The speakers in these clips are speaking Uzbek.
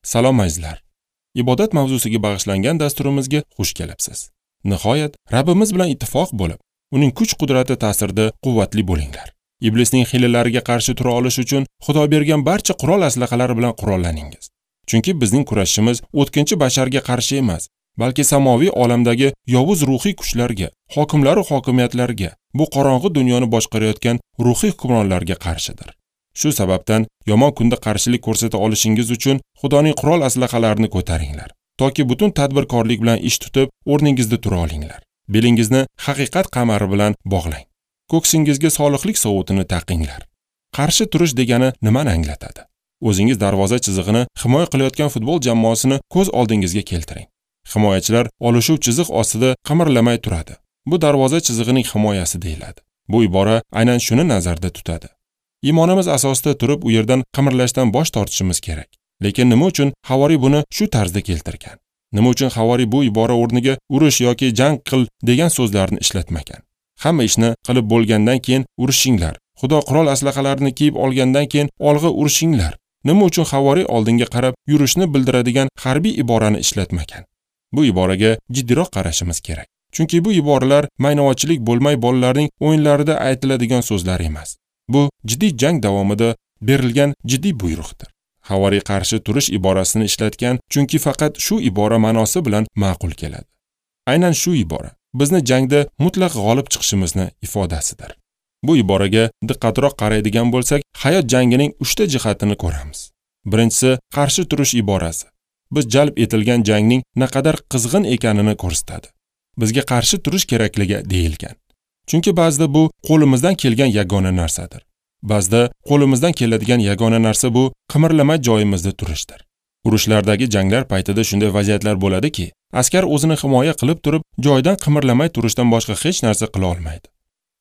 Salom azizlar. Ibodat mavzusiga bag'ishlangan dasturimizga xush kelibsiz. Nihoyat Rabbimiz bilan ittifoq bo'lib, uning kuch-qudrati ta'sirida quvvatli bo'linglar. Iblisning hiylalariga qarshi tura olish uchun Xudo bergan barcha qurol aslahalari bilan qurollaningiz. Chunki bizning kurashimiz o'tkinchi basharga qarshi emas, balki samoviy olamdagi yovuz ruhiy kuchlarga, hokimlar va hokimiyatlarga, bu qorong'i dunyoni boshqarayotgan ruhiy hukmronlarga qarshidir. Shu sababdan yomon kunda qarshilik ko'rsata olishingiz uchun Xudoning qurol aslahalarini ko'taringlar, toki butun tadbirkorlik bilan ish tutib, o'rningizda tura olinglar. Belingizni haqiqat qamari bilan bog'lang. Ko'ksingizga solihlik sovutini taqinglar. Qarshi turish degani nimani anglatadi? O'zingiz darvoza chizig'ini himoya qilayotgan futbol jamoasini ko'z oldingizga keltiring. Himoyachilar olishuv chiziq ostida qimirlamay turadi. Bu darvoza chizig'ining himoyasi deyiladi. Bu ibora aynan shuni nazarda tutadi. Iymonimiz asosida turib, u yerdan qimirlashdan bosh tortishimiz kerak. Lekin nima uchun havoriy buni shu tarzda keltirgan? Nima uchun havoriy bu ibora o'rniga urush yoki jang qil degan so'zlarni ishlatmagan? Hamma ishni qilib bo'lgandan keyin urushinglar. Xudo qurol aslahalarini kiyib olgandan keyin olg'a urushinglar. Nima uchun havoriy oldinga qarab yurishni bildiradigan harbiy iborani ishlatmagan? Bu iboraga jiddiyroq qarashimiz kerak. Chunki bu iboralar maynavotchilik bo'lmay bolalarning o'yinlarida aytiladigan so'zlar emas. Bu jiddiy jang davomida berilgan jiddiy buyruqdir. Havoriy qarshi turish iborasini ishlatgan, chunki faqat shu ibora ma'nosi bilan ma'qul keladi. Aynan shu ibora bizni jangda mutlaq g'olib chiqishimizni ifodasidir. Bu iboraga diqqatroq qaraydigan bo'lsak, hayot jangining 3 ta jihatini ko'ramiz. Birinchisi qarshi turish iborasi. Biz jalb etilgan jangning naqadar qizg'in ekanini ko'rsatadi. Bizga qarshi turish kerakligi deyilgan. Chunki ba'zida bu qo'limizdan kelgan yagona narsadir. Ba'zida qo'limizdan keladigan yagona narsa bu qimirlamay joyimizda turishdir. Urushlardagi janglar paytida shunday vaziyatlar bo'ladiki, askar o'zini himoya qilib turib, joyidan qimirlamay turishdan boshqa hech narsa qila olmaydi.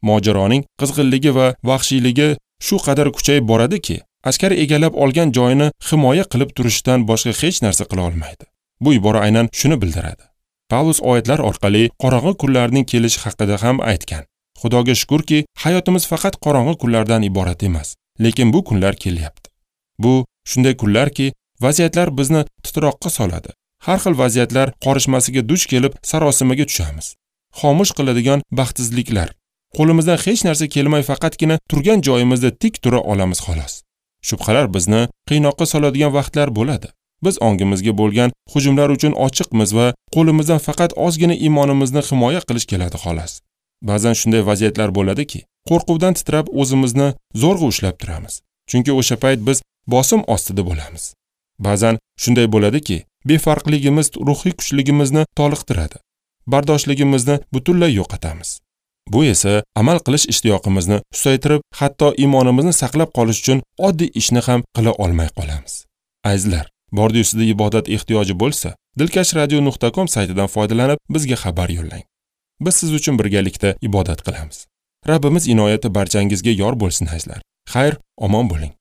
Mojaroning qizg'inligi va vahshiyligi shu qadar kuchayib boradiki, askar egallab olgan joyini himoya qilib turishdan boshqa hech narsa qila olmaydi. Bu ibora aynan shuni bildiradi. Pavlus oyatlar orqali qorong'i kunlarning kelishi haqida ham aytgan. Xudoga shukurki, hayotimiz faqat qorong'i kunlardan iborat emas, lekin bu kunlar kelyapti. Bu shunday kunlarki, vaziyatlar bizni titroqqa soladi. Har xil vaziyatlar qorishmasiga duch kelib, sarosimaga tushamiz. Xomush qiladigan baxtsizliklar. Qo'limizdan hech narsa kelmay faqatgina turgan joyimizda tik tura olamiz xolos. Shubhalar bizni qiynoqqa soladigan vaqtlar bo'ladi. Biz ongimizga bo'lgan hujumlar uchun ochiqmiz va qo'limizdan faqat ozgina iymonimizni himoya qilish keladi xolos. Ba'zan shunday vaziyatlar bo'ladiki, qo'rquvdan titrab o'zimizni zo'rg'a ushlab turamiz. Chunki o'sha payt biz bosim ostida bo'lamiz. Ba'zan shunday bo'ladiki, befarqligimiz ruhiy kuchligimizni toliqtiradi. Bardoshligimizni butunlay yo'qotamiz. Bu esa amal qilish ishtiyoqimizni susaytirib, hatto iymonimizni saqlab qolish uchun oddiy ishni ham qila olmay qolamiz. Azizlar, bordi-yu sizda ibodat ehtiyoji bo'lsa, dilkashradio.com saytidan foydalanib bizga xabar yo'llang. Biz siz uchun birgalikda ibodat qilamiz. Rabbimiz inoyati barchangizga yor bo'lsin azizlar. Xayr, omon bo'ling.